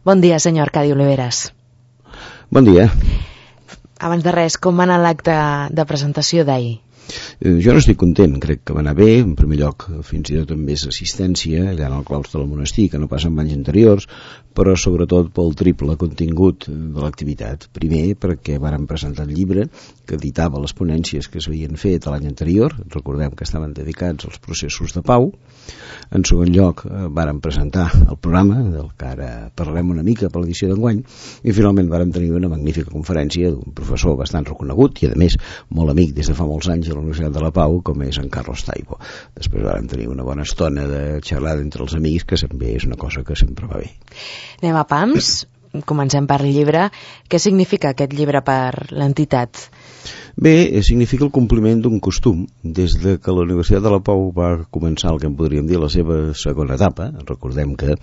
Bon dia, senyor Arcadi Oliveras. Bon dia. Abans de res, com va anar l'acte de presentació d'ahir? Jo no estic content, crec que va anar bé. En primer lloc, fins i tot amb més assistència allà en el claustre del monestir, que no passa en anys anteriors, però sobretot pel triple contingut de l'activitat. Primer, perquè vàrem presentar el llibre que editava les ponències que s'havien fet l'any anterior, recordem que estaven dedicats als processos de pau. En segon lloc, vàrem presentar el programa, del que ara parlarem una mica per l'edició d'enguany, i finalment vàrem tenir una magnífica conferència d'un professor bastant reconegut i, a més, molt amic des de fa molts anys a la Universitat de la Pau, com és en Carlos Taibo. Després vàrem tenir una bona estona de xerrada entre els amics, que també és una cosa que sempre va bé. Anem a pams, comencem per el llibre. Què significa aquest llibre per l'entitat? Bé, significa el compliment d'un costum. Des de que la Universitat de la Pau va començar el que en podríem dir la seva segona etapa, recordem que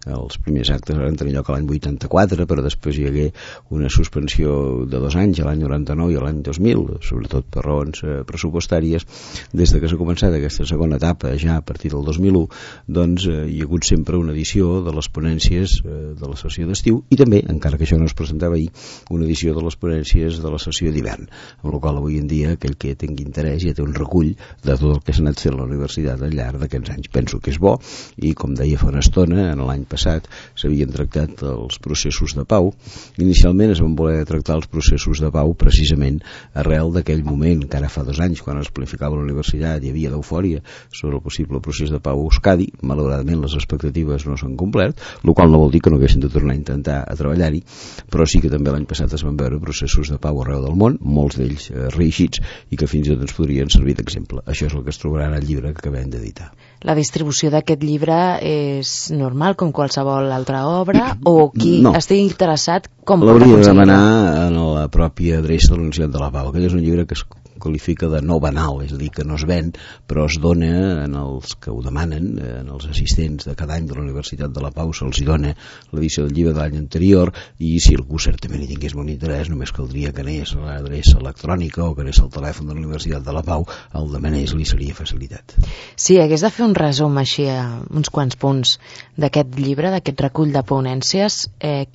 els primers actes van tenir lloc l'any 84, però després hi hagué una suspensió de 2 anys, l'any 99 i l'any 2000, sobretot per raons pressupostàries. Des de que s'ha començat aquesta segona etapa, ja a partir del 2001, doncs hi ha hagut sempre una edició de les ponències de la sessió d'estiu i també, encara que això no es presentava ahir, una edició de les ponències de la sessió d'hivern, amb la qual avui en dia aquell que tingui interès ja té un recull de tot el que s'ha anat fent a la universitat al llarg d'aquests anys. Penso que és bo i, com deia fa una estona, en l'any passat s'havien tractat els processos de pau. Inicialment es van voler tractar els processos de pau precisament arrel d'aquell moment que ara fa 2 anys, quan es planificava la universitat, hi havia d'eufòria sobre el possible procés de pau a Euskadi. Malauradament les expectatives no s'han complert, el qual no vol dir que no haguessin de tornar a intentar a treballar-hi, però sí que també l'any passat es van veure processos de pau arreu del món, molts d'ells reeixits i que fins i tot ens podrien servir d'exemple. Això és el que es trobarà en el llibre que acabem d'editar. La distribució d'aquest llibre és normal com qualsevol altra obra o qui estigui interessat com pot aconseguir-ho? L'hauria de demanar en la pròpia adreça de la Universitat de la Pau. Aquest és un llibre que es qualifica de no banal, és a dir, que no es ven, però es dona en els que ho demanen, en els assistents de cada any de la Universitat de la Pau, se'ls dona l'edició del llibre de l'any anterior, i si algú certament hi tingués molt interès, només caldria que anés a l'adreça electrònica o que anés al telèfon de la Universitat de la Pau, el demanés, li seria facilitat. Si hagués de fer un resum així a uns quants punts d'aquest llibre, d'aquest recull de ponències,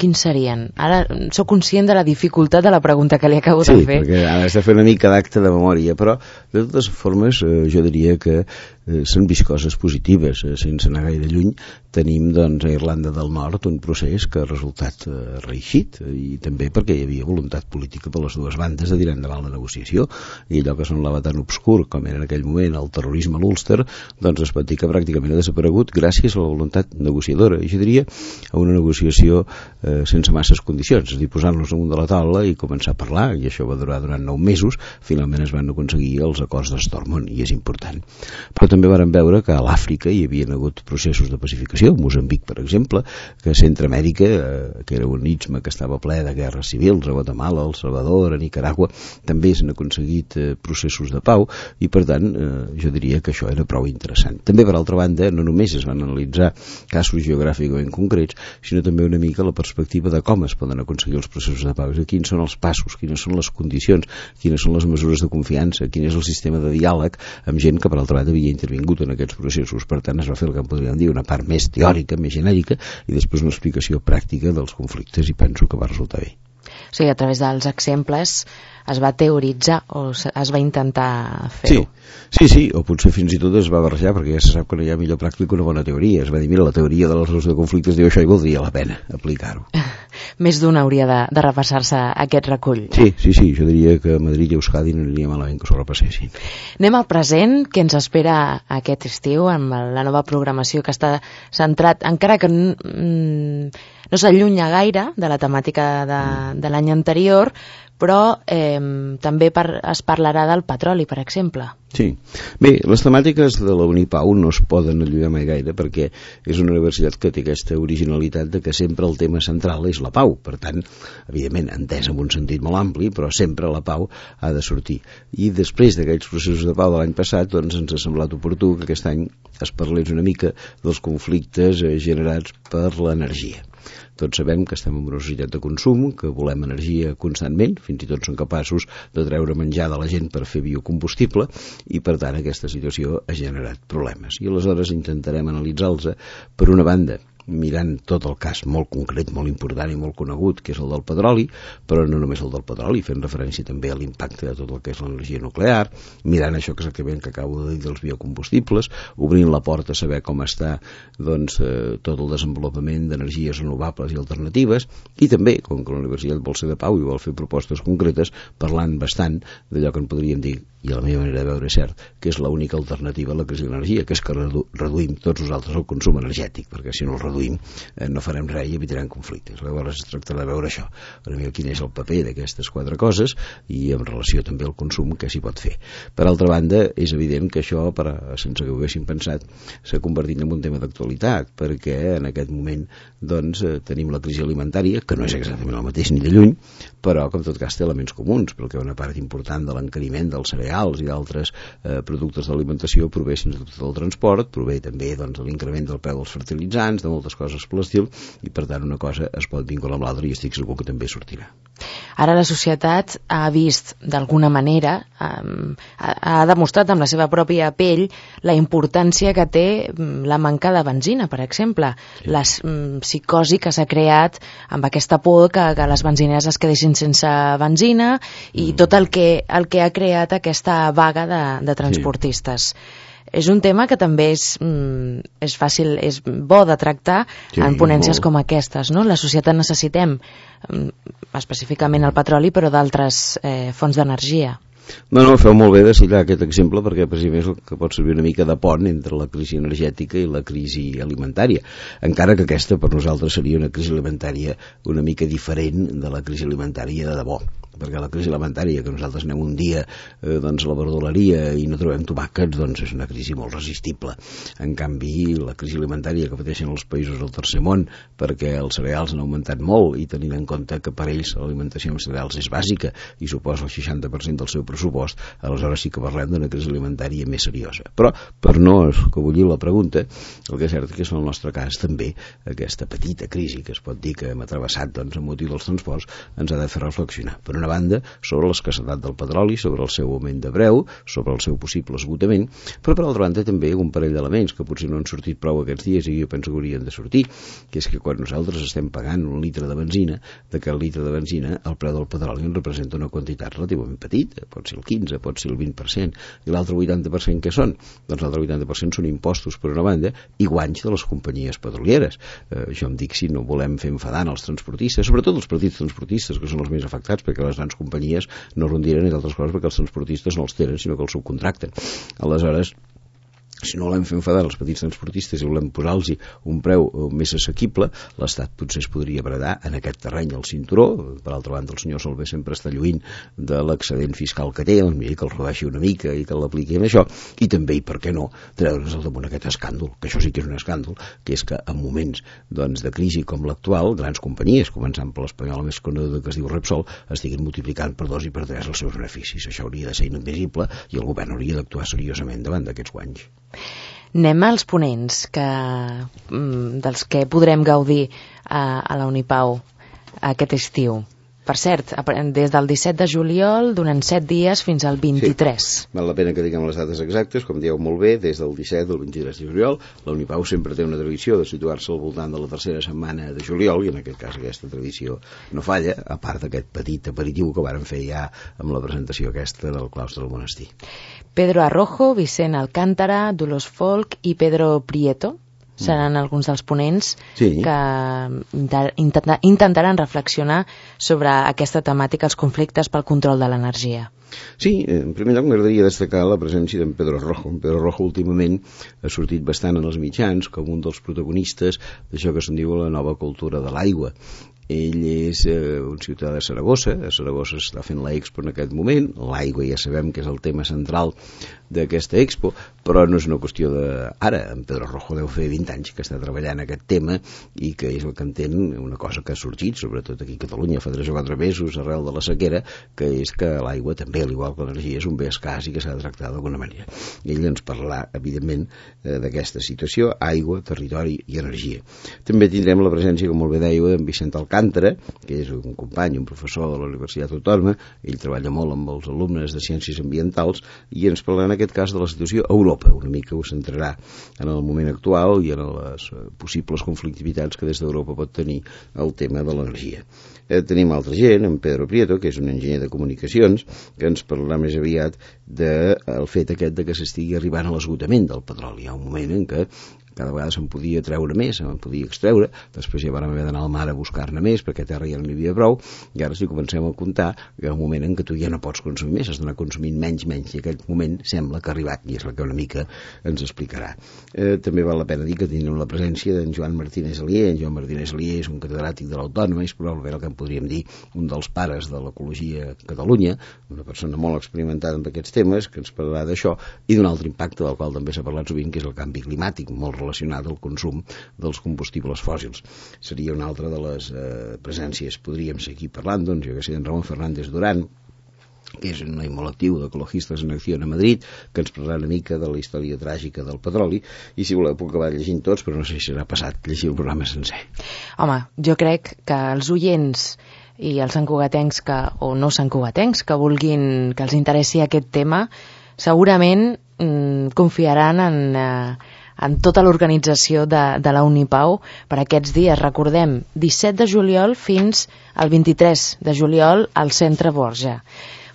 quins serien? Ara sóc conscient de la dificultat de la pregunta que li acabo de fer. Sí, perquè ara has de fer una mica d'acte de memòria, però de totes formes jo diria que s'han vist coses positives. Sense anar gaire lluny tenim doncs a Irlanda del Nord un procés que ha resultat reeixit, i també perquè hi havia voluntat política per les dues bandes de tirar endavant la negociació, i allò que semblava tan obscur com era en aquell moment el terrorisme a l'Ulster, doncs es pot dir que pràcticament ha desaparegut gràcies a la voluntat negociadora, i jo diria a una negociació sense masses condicions, és a dir, posar-nos damunt de la taula i començar a parlar, i això va durar durant 9 mesos. Finalment es van aconseguir els acords de Stormont, i és important. Però també vàrem veure que a l'Àfrica hi havia hagut processos de pacificació, Moçambic, per exemple, que a Centreamèrica, que era un istme que estava ple de guerres civils, a Guatemala, El Salvador, a Nicaragua, també s'han aconseguit processos de pau, i per tant jo diria que això era prou interessant. També, per altra banda, no només es van analitzar casos geogràficament concrets, sinó també una mica la perspectiva de com es poden aconseguir els processos de pau, quins són els passos, quines són les condicions, quines són les mesures de confiança, quin és el sistema de diàleg amb gent que, per altra banda, havia intervingut en aquests processos. Per tant, es va fer el que en podríem dir una part més teòrica, més genèrica, i després una explicació pràctica dels conflictes, i penso que va resultar bé. O sigui, a través dels exemples es va teoritzar o es va intentar fer-ho? Sí, o potser fins i tot es va barrejar, perquè ja se sap que no hi ha millor pràctica que una bona teoria. Es va dir, mira, la teoria de la resolució de conflictes diu això i valdria la pena aplicar-ho. Més d'un hauria de repassar-se aquest recull. Sí, jo diria que a Madrid i Euskadi no aniria malament que s'ho repassessin. Anem al present, que ens espera aquest estiu amb la nova programació que està centrat, encara que no s'allunya gaire de la temàtica de l'any anterior, però també es parlarà del petroli, per exemple. Sí. Bé, les temàtiques de la Unipau no es poden allunyar mai gaire, perquè és una universitat que té aquesta originalitat de que sempre el tema central és la pau. Per tant, evidentment, entès en un sentit molt ampli, però sempre la pau ha de sortir. I després d'aquells processos de pau de l'any passat, doncs ens ha semblat oportú que aquest any es parlés una mica dels conflictes generats per l'energia. Tots sabem que estem en una societat de consum, que volem energia constantment, fins i tot són capaços de treure menjar de la gent per fer biocombustible, i per tant aquesta situació ha generat problemes. I aleshores intentarem analitzar-los, per una banda, mirant tot el cas molt concret, molt important i molt conegut, que és el del petroli, però no només el del petroli, fent referència també a l'impacte de tot el que és l'energia nuclear, mirant això exactament que acabo de dir dels biocombustibles, obrint la porta a saber com està doncs, tot el desenvolupament d'energies renovables i alternatives, i també, com que la Universitat vol ser de pau i vol fer propostes concretes, parlant bastant d'allò que en podríem dir, i a la meva manera de veure és cert, que és l'única alternativa a la crisi de l'energia, que és que reduïm tots nosaltres el consum energètic, perquè si no el reduïm no farem res i evitarem conflictes. Llavors es tracta de veure això, per mi quin és el paper d'aquestes 4 coses i en relació també al consum què s'hi pot fer. Per altra banda, és evident que això, sense que ho haguéssim pensat, s'ha convertit en un tema d'actualitat, perquè en aquest moment doncs, tenim la crisi alimentària, que no és exactament el mateix ni de lluny, però que en tot cas té elements comuns, perquè una part important de l'encariment dels cereals i d'altres productes d'alimentació prové sense dubte del transport, prové també doncs, de l'increment del preu dels fertilitzants, de moltes coses per l'estil, i per tant una cosa es pot vincular amb l'altra i estic segur que també sortirà. Ara la societat ha vist d'alguna manera, ha demostrat amb la seva pròpia pell la importància que té la manca de benzina, per exemple. Sí. La psicosi que s'ha creat amb aquesta por que les benzineres es quedessin sense benzina i tot el que ha creat aquesta vaga de transportistes. Sí. És un tema que també és fàcil, és bo de tractar en ponències com aquestes, no? La societat necessitem específicament el petroli, però d'altres fonts d'energia. No, feu molt bé de citar aquest exemple perquè precisament és el que pot servir una mica de pont entre la crisi energètica i la crisi alimentària, encara que aquesta per nosaltres seria una crisi alimentària una mica diferent de la crisi alimentària de debò, perquè la crisi alimentària, que nosaltres anem un dia doncs, a la verdoleria i no trobem tomàquets, doncs és una crisi molt resistible. En canvi, la crisi alimentària que pateixen els països del tercer món, perquè els cereals han augmentat molt i tenint en compte que per ells l'alimentació amb cereals és bàsica i suposa el 60% del seu pressupost, aleshores sí que parlem d'una crisi alimentària més seriosa. Però, per no escabullir la pregunta, el que és cert que és en el nostre cas també aquesta petita crisi que es pot dir que hem travessat doncs, amb motiu dels transports ens ha de fer reflexionar. Per una banda, sobre l'escassetat del petroli, sobre el seu augment de preu, sobre el seu possible esgotament, però per altra banda també un parell d'elements que potser no han sortit prou aquests dies i jo penso que haurien de sortir, que és que quan nosaltres estem pagant un litre de benzina, d'aquest litre de benzina el preu del petroli en representa una quantitat relativament petita, pot ser el 15, pot ser el 20%, i l'altre 80% què són? Doncs l'altre 80% són impostos per una banda i guanys de les companyies petrolieres. Jo em dic si no volem fer enfadant els transportistes, sobretot els petits transportistes que són els més afectats perquè les grans companyies no rondiren, entre altres coses perquè els transportistes no els tenen sinó que els subcontracten. Aleshores, si no volem fer enfadar els petits transportistes i volem posar-los un preu més assequible, l'Estat potser es podria bradar en aquest terreny al cinturó. Per altra banda, el senyor Solbes sempre està lluint de l'excedent fiscal que té, doncs mira, que el rebaixi una mica i que l'apliqui en això, i també, i per què no, treure's al damunt aquest escàndol, que això sí que és un escàndol, que és que en moments doncs, de crisi com l'actual, grans companyies, començant per l'espanyola més coneguda que es diu Repsol, estiguin multiplicant per 2 i per 3 els seus beneficis. Això hauria de ser inadmissible i el govern hauria d'actuar seriosament davant d'aquests guanys. Anem als ponents dels que podrem gaudir a la Unipau aquest estiu. Per cert, des del 17 de juliol, durant 7 dies fins al 23. Sí, val la pena que diguem les dates exactes, com dieu molt bé, des del 17 al 23 de juliol. La Unipau sempre té una tradició de situar-se al voltant de la tercera setmana de juliol, i en aquest cas aquesta tradició no falla, a part d'aquest petit aperitiu que vàrem fer ja amb la presentació aquesta del claustre del monestir. Pedro Arrojo, Vicent Alcántara, Dolors Folk i Pedro Prieto seran alguns dels ponents que intentaran reflexionar sobre aquesta temàtica, els conflictes pel control de l'energia. Sí, en primer lloc m'agradaria destacar la presència d'en Pedro Rojo. En Pedro Rojo últimament ha sortit bastant en els mitjans com un dels protagonistes d'això que se'n diu la nova cultura de l'aigua. Ell és un ciutadà de Saragossa. A Saragossa està fent l'Expo en aquest moment. L'aigua ja sabem que és el tema central d'aquesta Expo, però no és una qüestió d'ara. En Pedro Rojo deu fer 20 anys que està treballant aquest tema i que és el que entén una cosa que ha sorgit, sobretot aquí a Catalunya fa 3 o 4 mesos arrel de la sequera, que és que l'aigua també, al igual que l'energia, és un bé escàs i que s'ha de tractar d'alguna manera. Ell ens parlarà, evidentment, d'aquesta situació, aigua, territori i energia. També tindrem la presència, com molt bé deia, d'en Vicent Alcántara, que és un company, un professor de la Universitat Autònoma. Ell treballa molt amb els alumnes de Ciències Ambientals i ens parlarà en aquest cas de la situació a Europa, una mica ho centrarà en el moment actual i en les possibles conflictivitats que des d'Europa pot tenir el tema de l'energia. Tenim altra gent, en Pedro Prieto, que és un enginyer de comunicacions, que ens parlarà més aviat del fet aquest de que s'estigui arribant a l'esgotament del petroli. Hi ha un moment en què cada vegada se'n podia treure més, se'n podia extreure, després ja vam haver d'anar al mar a buscar-ne més perquè a terra ja no n'hi havia prou, i ara si comencem a comptar que hi ha un moment en què tu ja no pots consumir més, has d'anar consumint menys, i aquest moment sembla que ha arribat, i és el que una mica ens explicarà. També val la pena dir que tenim la presència d'en Joan Martínez Alier. En Joan Martínez Alier és un catedràtic de l'Autònoma, és probablement el que en podríem dir un dels pares de l'ecologia a Catalunya, una persona molt experimentada en aquests temes, que ens parlarà d'això i d'un altre impacte del qual també s'ha parlat sovint, que és el canvi climàtic, molt relacionat al consum dels combustibles fòssils. Seria una altra de les presències. Podríem seguir parlant, doncs, jo que sé, d'en Ramon Fernández Durán, que és un noi molt actiu d'Ecologistes en Acció a Madrid, que ens parlarà una mica de la història tràgica del petroli, i si voleu puc acabar llegint tots, però no sé si serà passat llegir el programa sencer. Home, jo crec que els oients i els santcugatencs o no santcugatencs que vulguin, que els interessi aquest tema, segurament confiaran en tota l'organització de la Unipau per aquests dies. Recordem, 17 de juliol fins al 23 de juliol al Centre Borja.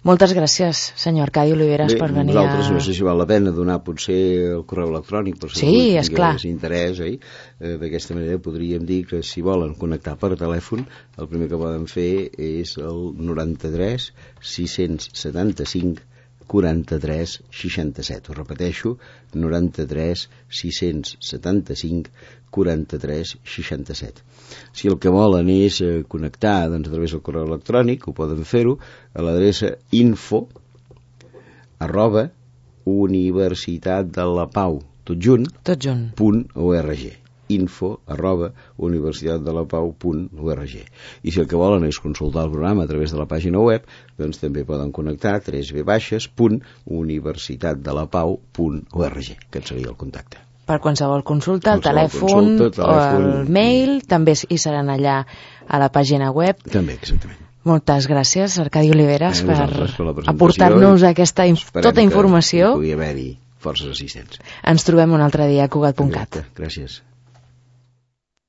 Moltes gràcies, senyor Arcadi Oliveres, per venir nosaltres no sé si val la pena donar potser el correu electrònic, però si tingués interès, d'aquesta manera podríem dir que si volen connectar per telèfon, el primer que poden fer és el 93 675 43 67. Ho repeteixo, 93 675 43 67. Si el que volen és connectar, doncs, a través del correu electrònic, ho poden fer-ho a l'adreça info@universitatdelapau, tot junt, .org. info@universitatdelapau.org. I si el que volen és consultar el programa a través de la pàgina web, doncs també poden connectar www.universitatdelapau.org, que seria el contacte. Per qualsevol consulta, el telèfon o el mail, també hi seran allà a la pàgina web. També, exactament. Moltes gràcies, Arcadi Oliveres, per aportar-nos tota informació. Pugui haver-hi forces assistents. Ens trobem un altre dia a Cugat.cat. Gràcies.